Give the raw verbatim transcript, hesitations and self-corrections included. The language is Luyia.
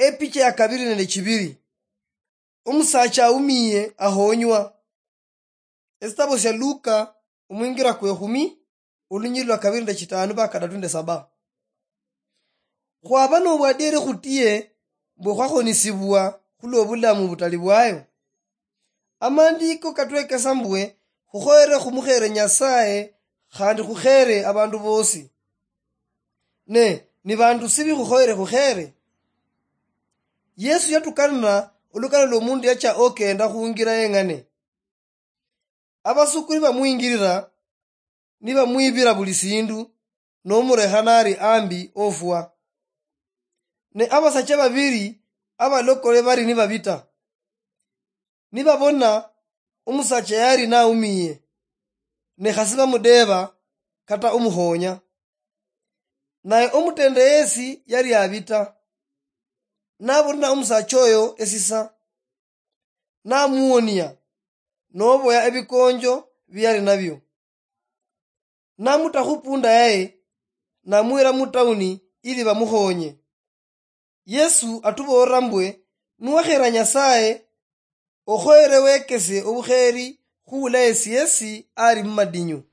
Epicha ya kabiri nende chibiri. Omusacha aumiye ahonywa. Esitabo sia Luka, omwingira kwe khumi, olunyiri lwa kabiri nende chitanu mpaka kadatu nende saba. Khwaba nobwadieri khutie mbwe khwakhonisibwa khulwobulamu butali bwayo. Amandiko katwekesa mbwe khukhoyere khumukhere Nyasaye khandi khukhere abandu bosi. Ne, ni bandu sibi khukhoyere khukhere? Yesu yatukanana olukana lwomundu yacha okenda khungira yeng'ane. Abasukuli bamwingirira, nibamwibira buli sindu, nomurekha nari ambi ofwa. Ne abasacha babiri abalokole bari nibabita, nibabona omusacha yari naumiye, ne khasi bamudeba kata omuhonya. Naye omutende yesi yari abita, nabonera omusacha oyo esisa, namuwonia, noboya ebikonjo biyali nabio, namuta khupunda yaye, namwira mutauni ili bamukhonye. Yesu atuboolera mbwe, niwakhera Nyasaye, okhoyere wekese obukheri khula yesi yesi ali mumadinyu.